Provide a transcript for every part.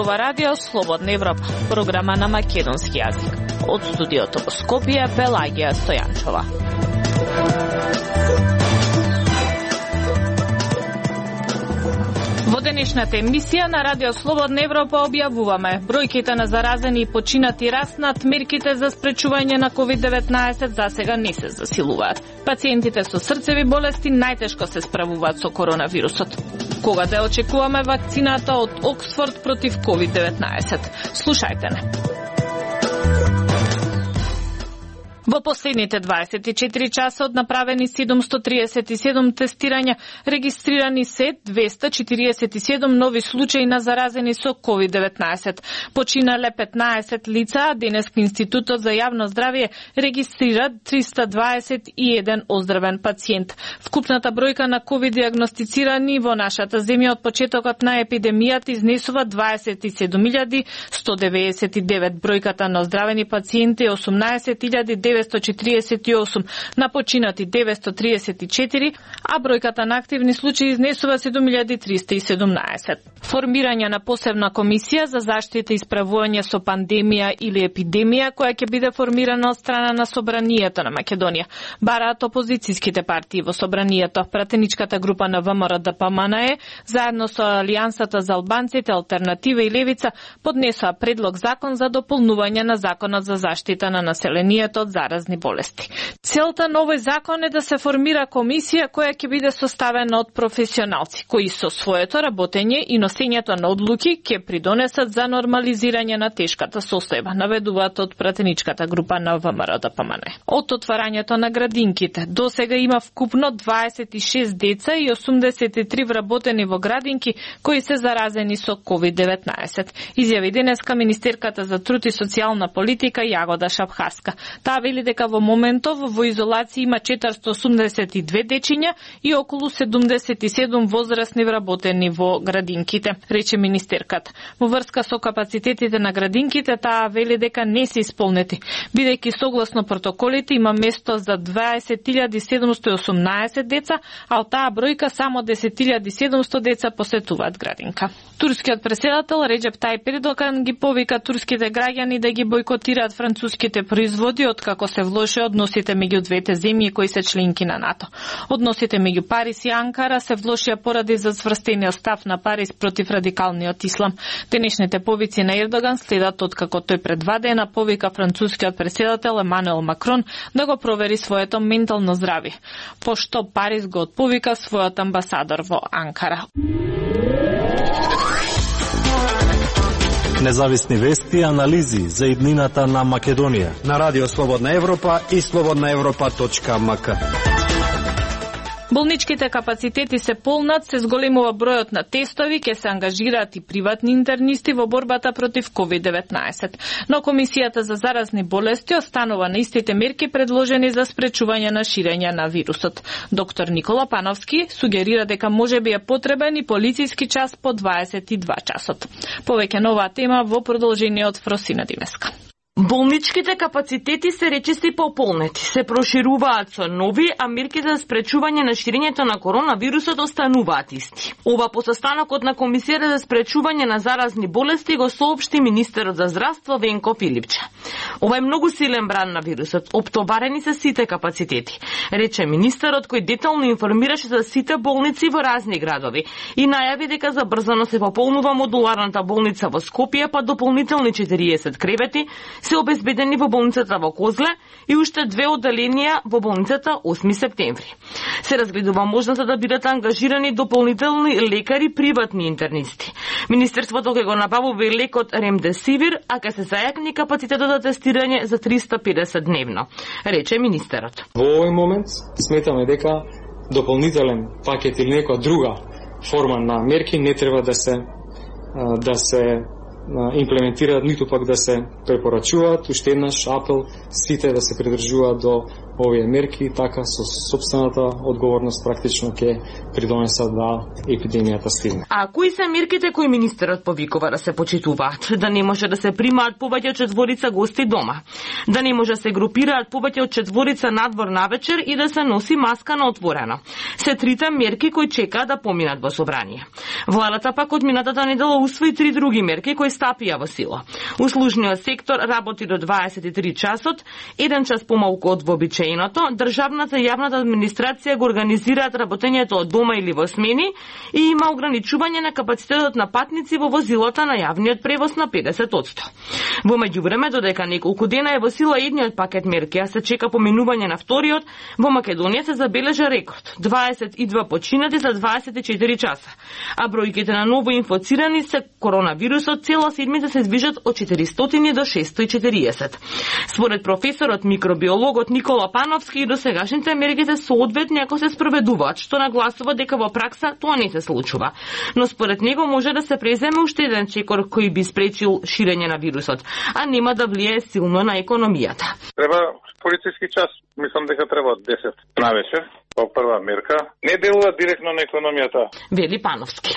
зборува Радио Слободна Европа, програма на македонски јазик. Од студиото во Скопје, Пелагија Стојанчова. Во денешната емисија на Радио Слободна Европа објавуваме бројките на заразени и починати раснат, мерките за спречување на COVID-19 засега не се засилуваат. Пациентите со срцеви болести најтешко се справуваат со коронавирусот. Кога да очекуваме вакцината од Оксфорд против COVID-19? Слушајте не. Во последните 24 часа од направени 737 тестирања, регистрирани се 247 нови случаи на заразени со COVID-19. Починале 15 лица, а денеска Институтот за јавно здравје регистрира 321 оздравен пациент. Вкупната бројка на COVID диагностицирани во нашата земја од почетокот на епидемијата изнесува 27.199. Бројката на оздравени пациенти е 18.948, на починати 934, а бројката на активни случаи изнесува 7.317. Формирање на посебна комисија за заштита и справување со пандемија или епидемија, која ќе биде формирана од страна на Собранието на Македонија. Бараат опозицијските партии во Собранието. Пратеничката група на ВМРО-ДПМНЕ, заедно со Алијансата за албанците, Алтернатива и Левица, поднесоа предлог закон за дополнување на Законот за заштита на населението од заразни болести. Целта на овој закон е да се формира комисија која ќе биде составена од професионалци, кои со своето работење и носењето на одлуки ќе придонесат за нормализирање на тешката состојба, наведуваат од пратеничката група на ВМРО-ДПМНЕ. Од отварањето на градинките, до сега има вкупно 26 деца и 83 вработени во градинки кои се заразени со COVID-19. Изјави денеска министерката за труд и социјална политика Јагода Шапхаска. Таа вели дека во моментов во изолација има 482 дечиња и околу 77 возрастни вработени во градинките, рече министерката. Во врска со капацитетите на градинките, таа вели дека не се исполнети, бидејќи согласно протоколите има место за 20.718 деца, а од таа бројка само 10.700 деца посетуваат градинка. Турскиот преседател Реджеп Тајип Ердоган ги повика турските граѓани да ги бойкотираат француските производи откако се влоши односите меѓу двете земји кои се членки на НАТО. Односите меѓу Париз и Анкара се влошија поради зацврстениот став на Париз против радикалниот ислам. Денешните повици на Ердоган следат откако тој пред 2 дена повика францускиот преседател Емануел Макрон да го провери своето ментално здравје, пошто Париз го отповика својот амбасадор во Анкара. Независни вести и анализи за иднината на Македонија на Радио Слободна Европа и slobodnaevropa.mk. Болничките капацитети се полнат, се зголемува бројот на тестови, ќе се ангажираат и приватни интернисти во борбата против COVID-19. Но Комисијата за заразни болести останува на истите мерки предложени за спречување на ширење на вирусот. Доктор Никола Пановски сугерира дека можеби е потребен и полициски час по 22 часот. Повеќе на оваа тема во продолжениот Фросина Димеска. Болничките капацитети се речиси пополнети, се прошируваат со нови, а мерките за спречување на ширењето на коронавирусот остануваат исти. Ова по состанокот на Комисијата за спречување на заразни болести го соопшти министерот за здравство Венко Филипче. Ова е многу силен бран на вирусот, оптоварени се сите капацитети, рече министерот кој детално информираше за сите болници во разни градови и најави дека забрзано се пополнува модуларната болница во Скопје, па дополнителни 40 кревети се обезбедени во болницата во Козле и уште 2 одделенија во болницата 8 септември. Се разгледува можноста да бидат ангажирани дополнителни лекари приватни интернисти. Министерството ќе го набавува и лекот Ремдесивир, а ќе се зајакни капацитетот за тестирање за 350 дневно, рече министерот. Во овој момент сметаме дека дополнителен пакет или некоја друга форма на мерки не треба да се имплементираат, ниту пак да се препорачуваат. Уште еднаш апел сите да се придржуваат до овие мерки, така со сопствената одговорност практично ќе придонесат да епидемијата стигне. А кои се мерките кои министерот повикува да се почитуваат? Да не може да се примаат повеќе од 4 гости дома, да не може да се групираат повеќе од 4 надвор навечер и да се носи маска на отворено. Се трите мерки кои чекаат да поминат во собрание. Владата пак од минатата недела усвои 3 други мерки кои стапија во сила. Услужниот сектор работи до 23 часот, 1 час помалку од вообичаеното. Државната и јавната администрација го организираат работењето од дома или во смени и има ограничување на капацитетот на патници во возилата на јавниот превоз на 50%. Во меѓувреме, додека неколку дена е во сила едниот пакет мерки, а се чека поминување на вториот, во Македонија се забележа рекорд 22 починати за 24 часа, а бројките на ново инфицирани се коронавирусот цела седмица се движат од 400 до 640. Според професорот микробиологот Никола Пановски, досегашните мерки се соодветни ако се спроведуваат, што нагласува дека во пракса тоа не се случува. Но според него може да се преземе уште еден чекор кој би спречил ширење на вирусот, а нема да влие силно на економијата. Треба полициски час, мислам дека треба 10 на вечер, по прва мерка. Не делува директно на економијата, вели Пановски.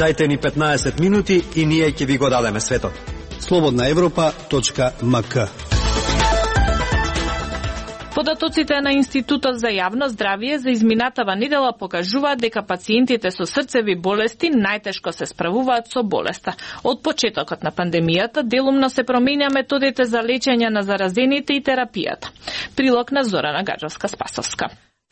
Дајте ни 15 минути и ние ќе ви го дадеме светот. slobodnaevropa.mk. Податоците на Институтот за јавно здравје за изминатава недела покажуваат дека пациентите со срцеви болести најтешко се справуваат со болеста. Од почетокот на пандемијата делумно се променја методите за лечење на заразените и терапијата. Прилог на Зорана Гаджевска-Спасовска.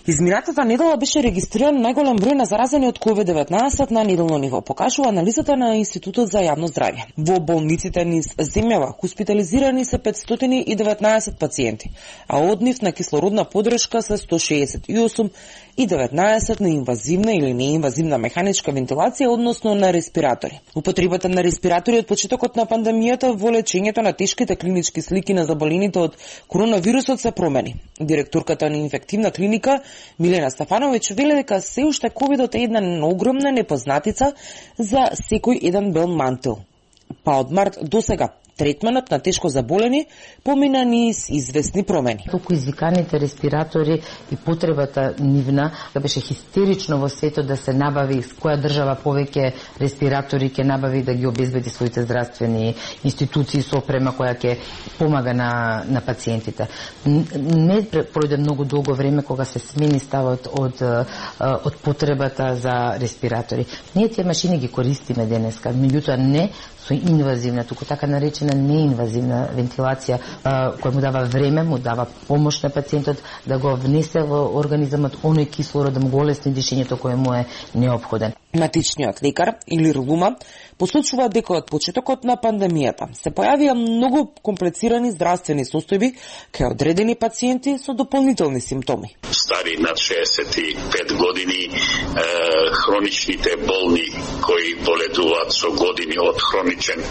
Изминатата недела беше регистриран најголем број на заразени од COVID-19 на неделно ниво, покажува анализата на Институтот за јавно здравје. Во болниците низ земјава хоспитализирани се 519 пациенти, а од нив на кислородна подршка се 168 и 19 на инвазивна или неинвазивна механичка вентилација, односно на респиратори. Употребата на респиратори од почетокот на пандемијата во лечењето на тешките клинички слики на заболените од коронавирусот се промени. Директорката на инфективна клиника Милена Стефановиќ вели дека се уште ковидот е една огромна непознатица за секој еден бел мантил. Па од март до сега третманот на тешко заболени помина низ известни промени. Толку извиканите респиратори и потребата нивна беше хистерично во светот да се набави која држава повеќе респиратори ќе набави да ги обезбеди своите здравствени институции со опрема која ќе помага на пациентите. Не пројде многу долго време кога се смени ставот од потребата за респиратори. Ние тие машини ги користиме денеска, меѓутоа не со инвазивна, туку така наречена неинвазивна вентилација, која му дава време, му дава помош на пациентот да го внесе во организмот оној кислород, да му го олесни дишењето кое му е неопходен. Матичниот лекар или Лума посочува дека од почетокот на пандемијата се појавија многу комплицирани здравствени состојби кај одредени пациенти со дополнителни симптоми. Стари над 65 години, хроничните болни кои боледуваат со години од хроничен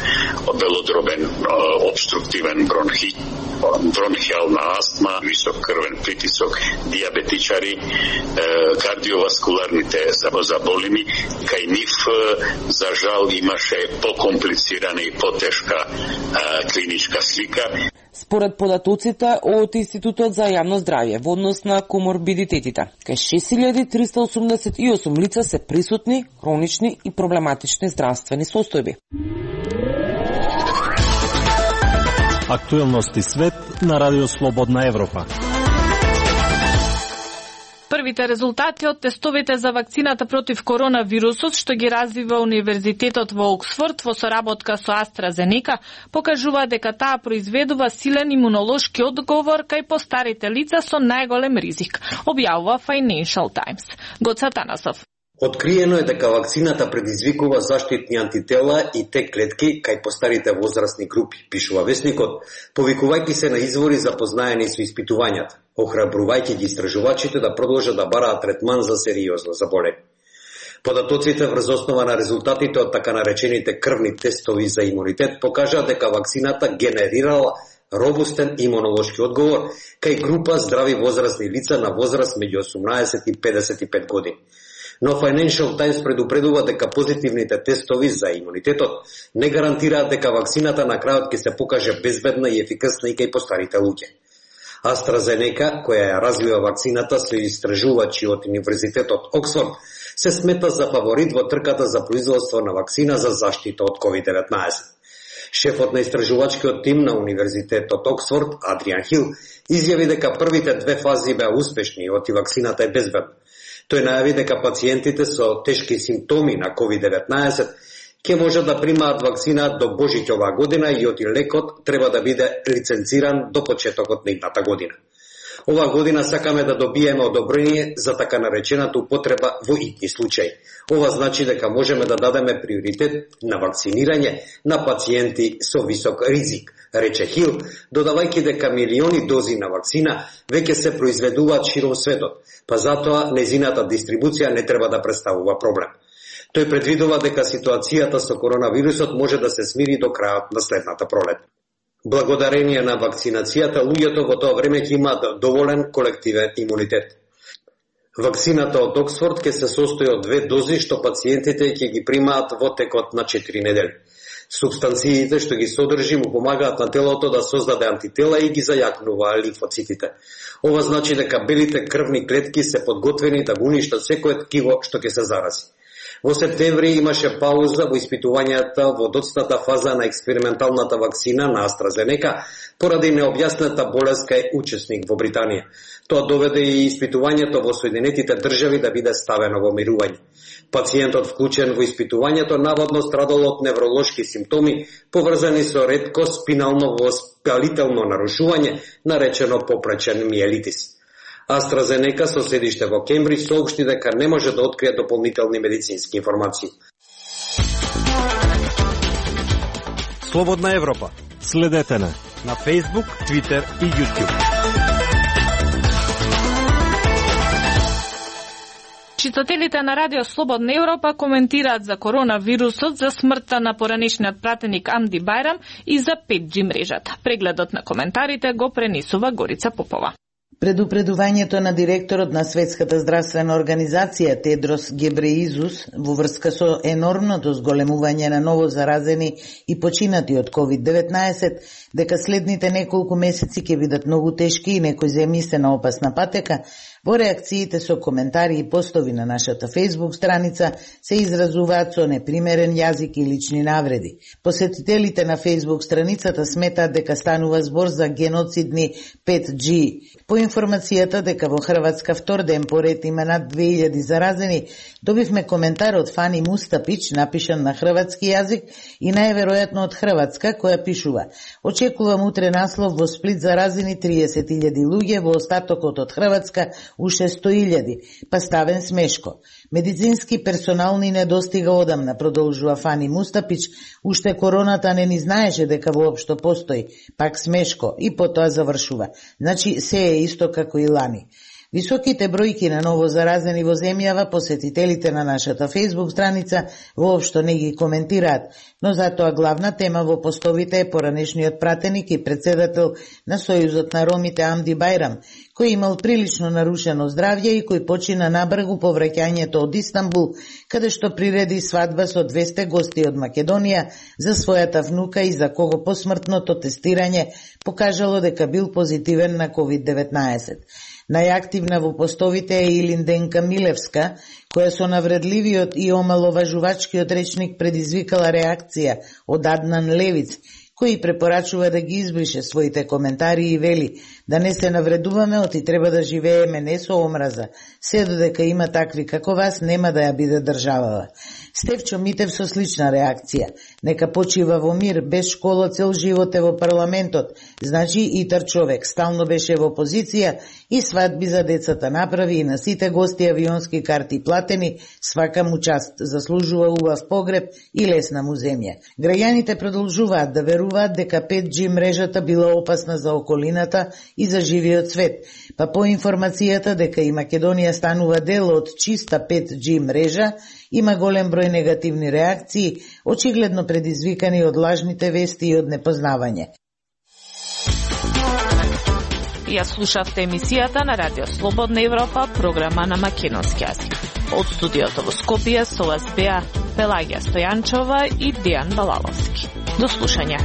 белодробен обструктивен бронхијална астма, висок крвен притисок, диабетичари, кардиоваскуларните заболени, кај нив за жал имаше покомплицирана и потешка клиничка слика. Според податоците од Институтот за јавно здравје во однос на коморбидитетите, кај 6388 лица се присутни хронични и проблематични здравствени состојби. Актуелности свет на Радио Слободна Европа. Првите резултати од тестовите за вакцината против коронавирусот, што ги развива Универзитетот во Оксфорд во соработка со AstraZeneca, покажува дека таа произведува силен имунолошки одговор кај постарите лица со најголем ризик, објавува Financial Times. Гоца Танасов. Откриено е дека вакцината предизвикува заштитни антитела и Т клетки кај постарите возрастни групи, пишува весникот, повикувајќи се на извори запознаени со испитувањата, охрабрувајќи ги истражувачите да продолжат да бараат третман за сериозно заболени. Податоците врз основа на резултатите од така наречените крвни тестови за имунитет покажаа дека вакцината генерирала робустен имунолошки одговор кај група здрави возрастни лица на возраст меѓу 18 и 55 години. Но Financial Times предупредува дека позитивните тестови за имунитетот не гарантираат дека вакцината на крајот ќе се покаже безбедна и ефикасна и кај постарите луѓе. AstraZeneca, која ја развива вакцината со истражувачи од Универзитетот Оксфорд, се смета за фаворит во трката за производство на вакцина за заштита од COVID-19. Шефот на истражувачкиот тим на Универзитетот Оксфорд, Адриан Хил, изјави дека првите две фази беа успешни и вакцината е безбедна. Тој најави дека пациентите со тешки симптоми на COVID-19 ќе можат да примаат вакцина до Божиќ оваа година и оти лекот треба да биде лиценциран до почетокот на идната година. Оваа година сакаме да добиеме одобрение за така наречената употреба во итни случаи. Ова значи дека можеме да дадеме приоритет на вакцинирање на пациенти со висок ризик, рече Хил, додавајќи дека милиони дози на вакцина веќе се произведуваат широм светот, па затоа незината дистрибуција не треба да представува проблем. Тој предвидува дека ситуацијата со коронавирусот може да се смири до крајот на следната пролет. Благодарение на вакцинацијата, луѓето во тоа време ќе имаат доволен колективен имунитет. Вакцината од Оксфорд ќе се состои од 2 дози што пациентите ќе ги примаат во текот на 4 недели. Субстанциите што ги содржи му помагаат на телото да создаде антитела и ги зајакнува лимфоцитите. Ова значи дека белите крвни клетки се подготвени да го уништат секое ткиво што ќе се зарази. Во септември имаше пауза во испитувањата во доцната фаза на експерименталната вакцина на AstraZeneca поради необјасната болест кај учесник во Британија. Тоа доведе и испитувањето во Соединетите држави да биде ставено во мирување. Пациентот вклучен во испитувањето наводно страдал од невролошки симптоми поврзани со ретко спинално воспалително нарушување наречено попречен миелитис. AstraZeneca со седиште во Кембридж соопшти дека не може да открие дополнителни медицински информации. Слободна Европа. Следете на Facebook, Twitter и YouTube. Читателите на Радио Слободна Европа коментираат за коронавирусот, за смртта на поранешниот пратеник Амди Бајрам и за 5G мрежата. Прегледот на коментарите го пренесува Горица Попова. Предупредувањето на директорот на Светската здравствена организација Тедрос Гебреизус во врска со енормното зголемување на ново заразени и починати од COVID-19, дека следните неколку месеци ќе бидат многу тешки и некои земји се на опасна патека, во реакциите со коментари и постови на нашата Facebook страница се изразуваат со непримерен јазик и лични навреди. Посетителите на Facebook страницата сметаат дека станува збор за геноцидни 5G. По информацијата дека во Хрватска втор ден поред има над 2000 заразени, добивме коментар од Фани Мустапич, напишан на хрватски јазик и најверојатно од Хрватска, која пишува: очекувам утре наслов во Сплит заразени 30.000 луѓе, во остатокот од Хрватска уште 100.000, па ставен смешко. Медицински персонал ни недостига одамна, продолжува Фани Мустапич, уште короната не ни знаеше дека воопшто постои, пак смешко, и потоа завршува. Значи се е исто како и лани. Високите бројки на ново заразени во земјава посетителите на нашата Facebook страница воопшто не ги коментираат, но затоа главна тема во постовите е поранешниот пратеник и председател на Сојузот на ромите Амди Бајрам, кој имал прилично нарушено здравје и кој почина набрзо по враќањето од Истанбул, каде што приреди свадба со 200 гости од Македонија за својата внука и за кого посмртното тестирање покажало дека бил позитивен на COVID-19. Најактивна во постовите е Илинденка Милевска, која со навредливиот и омаловажувачкиот речник предизвикала реакција од Аднан Левиц, кој препорачува да ги избрише своите коментари и вели да не се навредуваме, оти треба да живееме не со омраза, се додека има такви како вас, нема да ја биде државава. Стефчо Митев со слична реакција: нека почива во мир, без школа цел живот е во парламентот, значи итар човек, стално беше во опозиција и свадби за децата направи и на сите гости авионски карти платени, свака му част, заслужува убав погреб и лесна му земја. Граѓаните продолжуваат да веруваат дека 5G мрежата била опасна за околината и за живиот свет, па по информацијата дека и Македонија станува дел од чиста 5G мрежа, има голем број негативни реакции, очигледно предизвикани од лажните вести и од непознавање. Ја слушавте емисијата на Радио Слободна Европа, програма на македонски јазик. Од студиото во Скопје со вас беа Пелагија Стојанчова и Дејан Балаловски. До слушање.